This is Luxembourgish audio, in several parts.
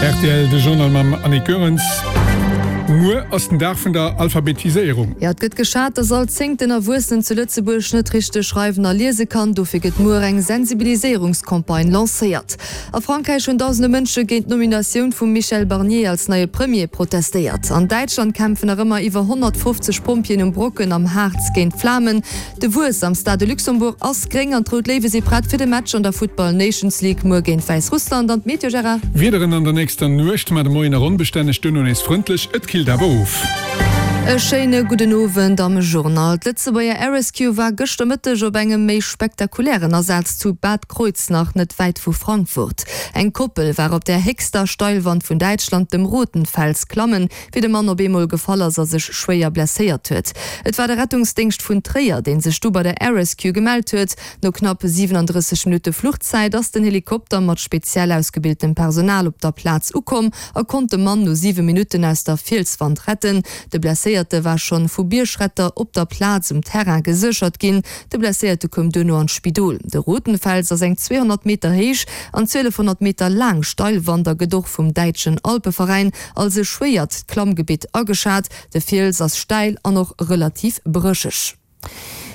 Rtl, de Journal mam Annick Goerens. Muer ass den Dag vun der Alphabetiséierung. Jo, et gëtt geschat, dass all zéngten Erwuessenen zu Lëtzebuerg net richteg schreiwen a liese kann. Dofir gëtt muer eng Sensibiliséierungscampagne lancéiert. A Frankräich hunn dausende Mënsche géint d'Nominatioun vum Michel Barnier als neie Premier protestéiert. An Däitschland kämpfen nach ëmmer iwwer 150 Pompjeeën um Brocken am Harz géint d'Flamen. De Wuess am Stade de Luxembourg ass gréng an d'Rout Léiwe si prett fir de Match an der Futtball Nations League muer géint Wäissrussland. An d'Meteo, Gérard? Wiederen an der nächster Nuecht, ma de Moien nach onbestänneg, duerno nees frëndlech, et killt awer of. E schéine gudden Owend am Journal. D'Lëtzebuerger Air Rescue war gëschter Mëtteg op engem méi spektakulären Asaz zu Bad Kreuznach, net wäit vu Frankfurt. Eng Koppel war op der héchster Steilwand vun Däitschland, dem Rotenfels, klammen. wéi de Mann op eemol gefall ass a sech schwéier blesséiert huet. Et war de Rettungsdéngscht vun Tréier, dee sech du bei der Air Rescue gemellt huet. No knapp 37 Minutte Fluchzäit ass den Helikopter mat speziell ausgebiltem Personal op der Plaz ukomm a konnt de Mann no 7 Minutten aus der Fielswand retten. De Blesséierte war schonn vu Biergretter op der Plaz um Terrain geséchert ginn. De Blesséierte koum duerno an d'Spidol. De Rotenfels ass eng 200 Meter héich an 1200 Meter laang Steilwand a gëtt och vum Däitschen Alpeveräin Als e schwéiert Klammgebitt ageschat. De Fiels ass stäil an och relativ brécheg.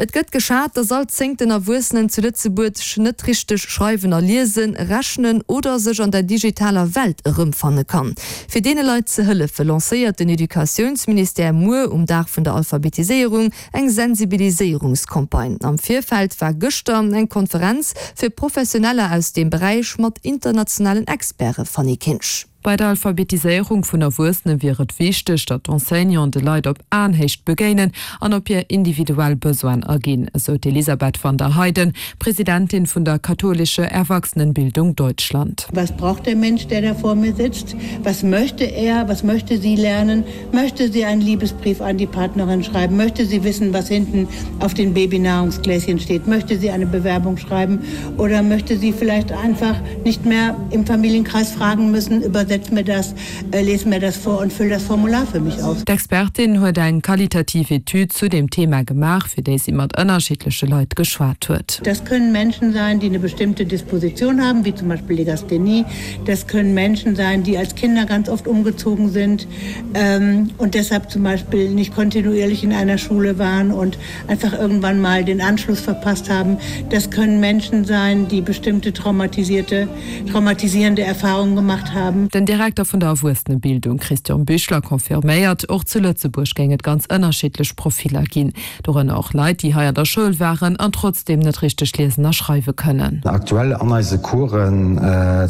Et gëtt geschat, dass all zéngten Erwuessenen zu Lëtzebuerg net richteg schreiwen a liesen, rechnen oder sech an der digitaler Welt erëmfanne kann. Fir deene Leit ze hëllefe lancéiert den Educatiounsministère muer um Dag vun der Alphabetiséierung eng Sensibiliséierungscampagne. Am Virfeld war gëschter eng Konferenz fir Professioneller aus deem Beräich mat internationalen Experte, Fanny Kinsch. Bei der Alphabetiséierung vun Erwuessene wier et wichteg, datt d'Enseignanten de Leit op Aenhéicht begéinen an op hir individuell Besoinen aginn, esou d'Elisabeth van der Heyden, Presidentin vun der Katholische Erwachsenenbildung Deutschland. Was braucht der Mensch, der da vor mir sitzt? Was möchte er, was möchte sie lernen? Möchte sie einen Liebesbrief an die Partnerin schreiben? Möchte sie wissen, was hinten auf den Babynahrungsgläschen steht? Möchte sie eine Bewerbung schreiben? Oder möchte sie vielleicht einfach nicht mehr im Familienkreis fragen müssen, übersetz mir das, äh, les mir das vor und füll das Formular für mich aus? D'Expertin huet eng qualitativ Etüd zu dem Thema gemaach, fir déi si mat ënnerschiddleche Leit geschwat huet. Das können Menschen sein, die eine bestimmte Disposition haben, wie zum Beispiel Legasthenie. Das können Menschen sein, die als Kinder ganz oft umgezogen sind ähm, und deshalb zum Beispiel nicht kontinuierlich in einer Schule waren und einfach irgendwann mal den Anschluss verpasst haben. Das können Menschen sein, die bestimmte traumatisierte, traumatisierende Erfahrungen gemacht haben. Den Direkter vun der Erwuessenebildung Christian Büchler confirméiert, och zu Lëtzebuerg géing et ganz ënnerschiddlech Profiller ginn, dorënner och Leit, déi hei an der Schoul waren an trotzdeem net richteg liesen a schreiwe kënnen. Aktuell an eise Coursen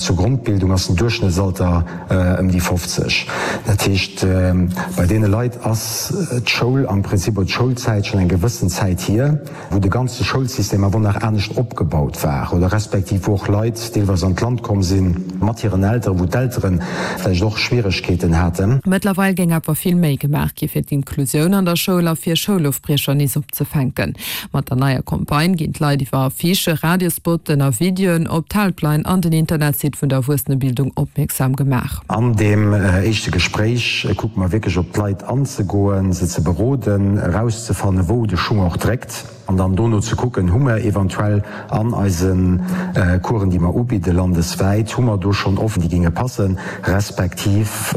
zur Grondbildung ass den Duerchschnëttsalter ëm déi 50. Dat heescht, bei deene Leit ass d'Schoul am Prinzip oder d'Schoulzäit schonn eng gewëssen Zäit hier, wou de ganze Schoulsystem awer nach anescht opgebaut war oder respektiv wou och Leit deelweis an d'Land komm si mat hiren Elteren, wou d'Eltere vläicht och Schwieregkeeten haten. Mëttlerweil géing awer vill méi gemaach gi fir d'Inklusioun an der Schoul a fir Schoulofbriecher nees opzefänken. Mat der neier Campagne ginn d'Leit iwwer Affichen, Radiospotten a Videoen op d'Helpline an den Internetsite vun der Erwuessenebildung opmierksam gemaach. An deem éischte Gespréich kucke mer wierklech op d'Leit anzegoen, se ze beroden, erauszefannen, wou de Schung och dréckt an dann dono ze kucken, hu mer eventuell an eise Coursen, déi mer ubidde landeswäit, hu mer do schonn Offeren, déi géinge passen, respektiv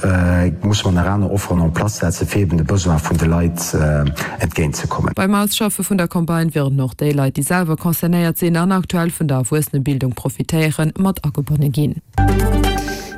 musse mer nach aner Offeren en place setzen, fir eben de Besoin vun de Leit entgéint ze kommen. Beim Ausschaffe vun der Campagne wieren och déi Leit, déi selwer concernéiert sinn an aktuell vun der Erwuessenebildung profitéieren, mat agebonne ginn.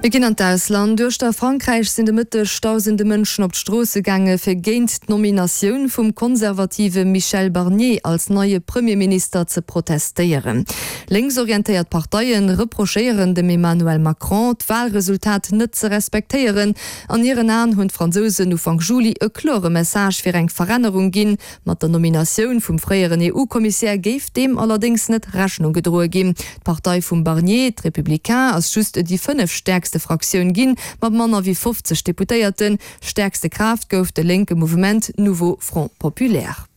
Mir ginn an d'Ausland. Uechter Frankräich sinn de Mëtteg dausende Mënschen op d'Stroosse gaange fir géint d'Nominatioun vum konservative Michel Barnier als neie Premierminister ze protestéieren. Lénksorientéiert Parteie reprochéieren dem Emmanuel Macron, d'Walresultat net ze respektéieren. An hiren Aen hunn d'Fransousen Ufank Juli e klore Message fir eng Verännerung ginn. Mat der Nominatioun vum fréieren EU-Kommissär géif deem allerdéngs net Rechnung gedroe ginn. D'Partei vum Barnier, d'Républicains, ass just déi fënnefstäerkste Fraktioun ginn, mat manner wéi 50 Deputéierten. Stäerkste Kraaft gouf de lénke Mouvement Nouveau Front Populaire.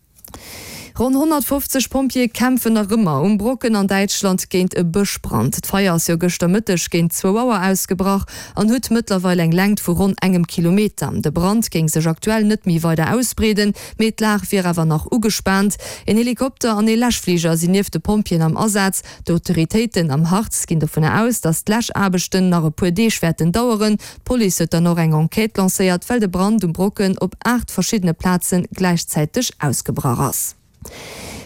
Ronn 150 Pompjeeë kämpfen nach ëmmer um Brocken an Däitschland géint e Bëschbrand. D'Feier ass jo gëschter Mëtteg géint zwou Auer ausgebrach an huet mëttlerweil eng Längt vu ronn engem Kilometer. De Brand géing sech aktuell net méi weider ausbreeden, mee d'Lag wier awer nach ugespaant. Een Helikopter an ee Läschfliger sinn nieft de Pompjeeën am Asaz. D'Autoritéiten am Harz ginn dovunner aus, datt d'Läschaarbechten nach e puer Deeg wäerten daueren. D'Police huet dann och eng Enquête lancéiert, well de Brand um Brocken op 8 verschiddene Plaze gläichzäiteg ausgebrach ass.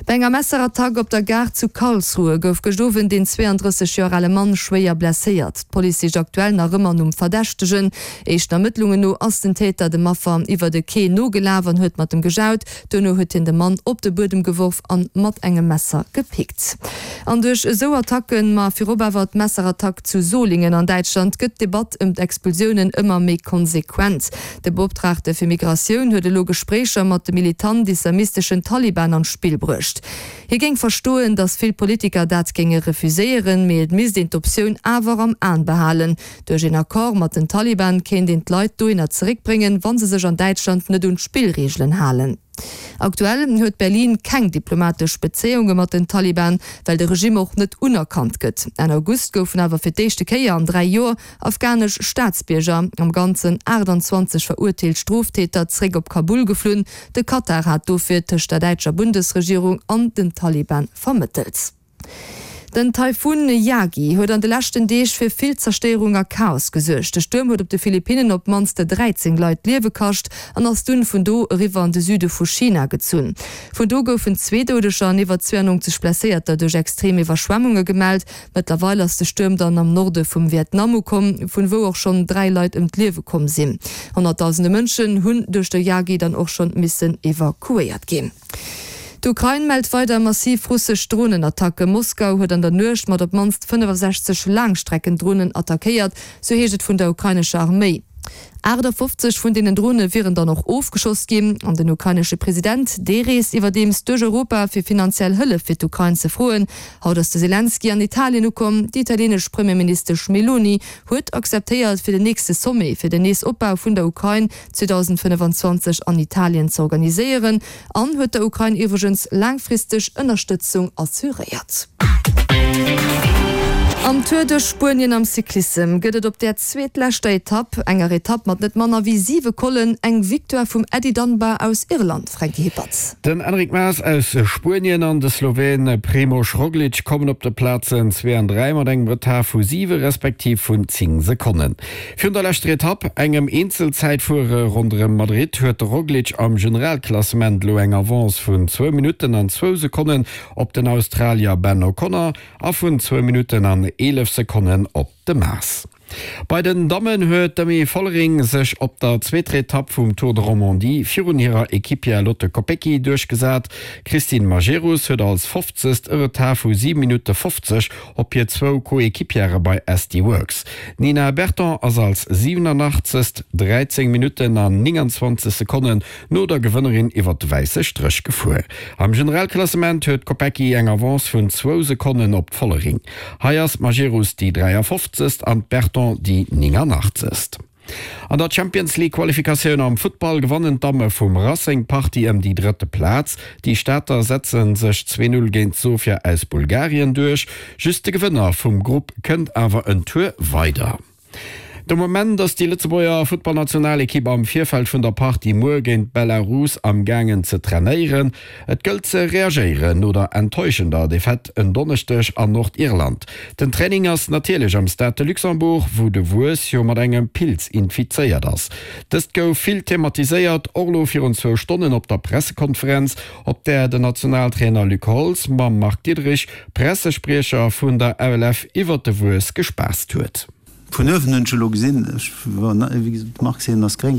Bei enger Messerattack op der Gare zu Karlsruhe gouf gëscht Owend een 32 Joer ale Mann schwéier blesséiert. D'Police sicht aktuell nach ëmmer nom Verdächtegen. Éischten Ermëttlungen no ass den Täter dem Affer iwwer de Quai nogelaf an huet mat em gejaut. Duerno huet hien de Mann op de Buedem geworf an mat engem Messer gepickt. An duerch esou Attacken, ma virop awer d'Messerattack zu Solingen an Däitschland, gëtt d'Debatt ëm d'Expulsiounen ëmmer méi konsequent. De Beoptraagte fir Migratioun huet elo Gespréicher mat de militant-islamisteschen Taliban an d'Spill bruecht. Hie géing verstoen, datt vill Politiker dat géinge refuséieren, mee et misst een d'Optioun awer am An behalen. Duerch een Accord mat den Taliban kéint een d'Leit dohinner zeréckbréngen, wa se sech an Däitschland net un d'Spillreegelen halen. Aktuell huet Berlin keng diplomatesch Bezéiunge mat den Taliban, well de Regimm och net unerkannt gëtt. Enn August goufen awer fir d'éischte Kéier an 3 Joer afghanesch Staatsbierger, am Ganzen 28 verurteelt Stroftäter, zeréck op Kabul geflunn. De Katar hat dofir tëscht der däitscher Bundesregierung an den Taliban vermëttelt. Den Taifun Yagi huet an de leschten Deeg fir vill Zerstéierung a Chaos gesuergt. De Stuerm huet op de Philippinnen op d'mannst 13 Leit d'Liewe kascht an ass dunn vun do eriwwer an de Süde vu China gezunn. Vun do goufen zwee Doudeger an iwwer 92 Blesséierter duerch extrem Iwwerschwemmunge gemellt. Mëttlerweil ass de Stuerm dann am Norde vum Vietnam ukomm, vun wou och schonn 3 Leit ëm d'Liewe komm sinn. Honnertdausende Mënschen hunn duerch de Yagi dann och schonn missen evakuéiert ginn. D'Ukrain mellt weider massiv russesch Dronenattacken. Moskau huet an der Nuecht mat op d'mannst 65 Laangstreckendronen attackéiert, sou heescht et vun der ukrainescher Arméi. 58 vun deenen Drone wieren dann och ofgeschoss ginn. An den ukrainesche President, dee reest iwwerdeems duerch Europa, fir finanziell Hëllef fir d'Ukrain ze froen. Haut ass de Selenskyj an Italien ukomm. Déi italienesch Premierministesch Meloni huet akzeptéiert, fir den nächste Sommet fir den Neesopbau vun der Ukrain 2025 an Italien ze organiséieren an huet der Ukrain iwwregens laangfristeg Ënnerstëtzung assuréiert. Am Tour duerch Spuenien am Cyclissem gëtt et op där zweetleschter Etapp, enger Etapp mat net manner wéi 7 Collen, eng Victoire vum Eddie Dunbar aus Irland, Franky Hippertz. Den Enric Mas aus Spuenien an de Sloween Primož Roglič kommen op de Plazen zwee an 3 mat engem Retard vu 7 respektiv vun 10 Sekonnen. Virun der leschter Etapp, engem Eenzelzäitfuere ronderëm Madrid, huet de Roglic am Generalklassement elo eng Avance vun zwou Minutten an zwou Sekonnen op den Australier Ben O'Connor a vun zwou Minutten an 11 Sekonnen op de Mas. Bei den Dammen huet d'Demi Vollering sech op der zweeter Etapp vum Tour de Romandie virun hirer Equipière Lotte Kopecky duerchgesat. D'Christine Majerus huet als 50. e Retard vu 7 Minutte 50 op hir zwou Coéquipiere bei SD Worx. D'Nina Berton ass als 87. 13 Minutten an 29 Sekonnen no der Gewënnerin iwwer de wäisse Stréch gefuer. Am Generalklassement huet d'Kopecky eng Avance vun zwou Sekonnen op d'Vollering. Hei ass d'Majerus déi 53. An d'Berton déi 89. An der Champions League Qualifikatioun am Futtball gewannen d'Damme vum Racing d'Partie ëm déi drëtte Plaz. Déi Stater setze sech 2, 0 géint Sofia aus Bulgarien duerch. Just de Gewënner vum Grupp kënnt awer en Tour weider. De Moment ass déi Lëtzebuerger Futtballnationalekipp am Virfeld vun der Partie muer géint Belarus am gaangen ze trainéieren. Et gëllt ze reagéieren no der enttäuschender Defaite en Donneschdeg an Nordirland. Den Training ass natierlech am Stade de Luxembourg, wou de Wues jo mat engem Pilz infizéiert ass. Dëst gouf vill thematiséiert, och elo virun zwou Stonnen op der Pressekonferenz, op där den Nationaltrainer Luc Holtz mam Marc Diederich, Pressespriecher vun der LF, iwwert de Wues gespaasst huet. Vun uewen hunn ech elo gesinn, ech war wéi gesot, de Marc seet en ass gréng,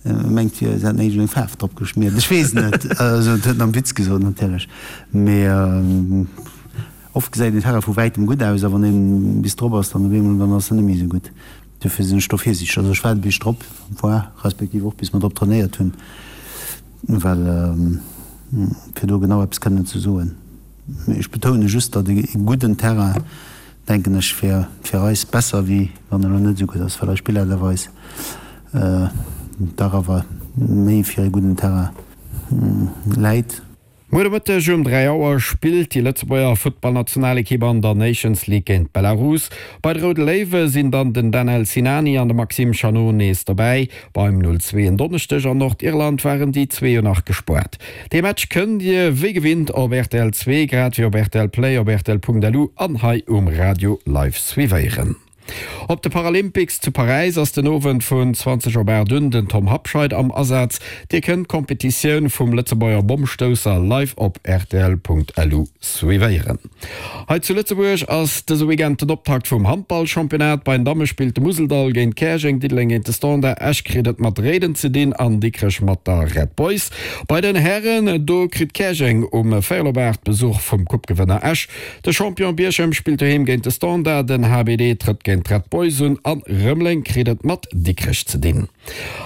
e mengt fir se hätten iergendeng Faarf drop geschmiert, ech weess et net, also et huet en am Witz gesot natierlech, mee oft gesäit en Terrain vu wäitem gutt aus a wann een bis drop ass, dann op eemol dann ass en net méi esou gutt. Dofir sinn ech do virsiichteg, also ech waarde bis ech drop war, respektiv och bis mer drop trainéiert hunn, well fir do genau eppes kënnen ze soen. Mee ech betoune just, datt e gudden Terrain, denken ech, fir fir eis besser wéi wann en elo net esou gutt ass, well eis Spiller awer eis dach awer méi fir e gudden Terrain läit. Muer de Mëtteg um 3 Auer spillt déi Lëtzebuerger Futtballnationalekipp an der Nations League géint Belarus. Bei de Roude Léiwe sinn dann den Danel Sinani an de Maxime Chanot nees dobäi. Beim 0, 2 en Donneschdeg an Nordirland waren déi zwee jo nach gespuert. Dee Match kënnt Dir wéi gewinnt op rtl 2, grad wéi op rtl Play, op rtl.lu an hei um Radio live suivéieren. Op de Paralympics zu Paräis ass den Owend vun 20 op 8 un den Tom Habscheid am Asaz. Dir kënnt d'Kompetitioun vum Lëtzebuerger Bommstousser live op rtl.lu suivéieren. Hei zu Lëtzebuerg ass dëse Weekend den Optakt vum Handballchampionnat. Bei den Damme spillt de Museldall géint Käerjeng, Diddeleng géint de Standard, Esch kritt et mat Réiden ze dinn an Dikrech mat der Red Boys. Bei den Hären, do kritt Käerjeng um véierel op 8 Besuch vum Coupe-Gewënner Esch. De Champion Bierchem spillt doheem géint de Standard, den HBD trëtt géint d'Red Boys un an Rëmeleng kritt et mat Dikrech ze dinn.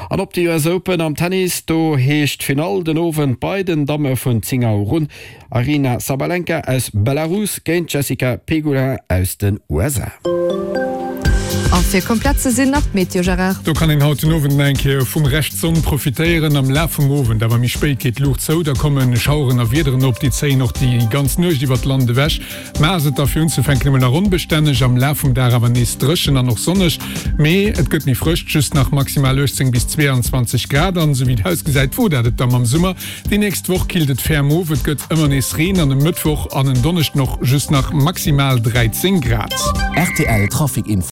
An op de US Open am Tennis, do heescht d'Finall den Owend bei den Damme vun 10 Auer un, Aryna Sabalenka aus Belarus géint d'Jessica Pegula aus den USA. A fir komplett ze sinn, nach d'Meteo, Gérard. Do kann een haut den Owend nach eng Kéier vum Rescht Sonn profitéieren. Am Laf vum Owend, awer méi spéit, geet d'Luucht zou, da komme Schaueren a Wiederen op, déi zéien och déi ganz Nuecht iwwert d'Land ewech. Mar ass et da fir unzefänken emol nach onbestänneg, am Laf vum Dag awer nees dréchen an och sonneg, mee et gëtt méi frësch, just nach maximal 18 bis 22 Grad. An esou wéi et ausgesäit, wor dat et da mam Summer. Déi nächst Woch killt et ferm of, et gëtt ëmmer nees Reen an e Mëttwoch an en Donneschden och just nach maximal 13 Grad. Rtl Trafic Info.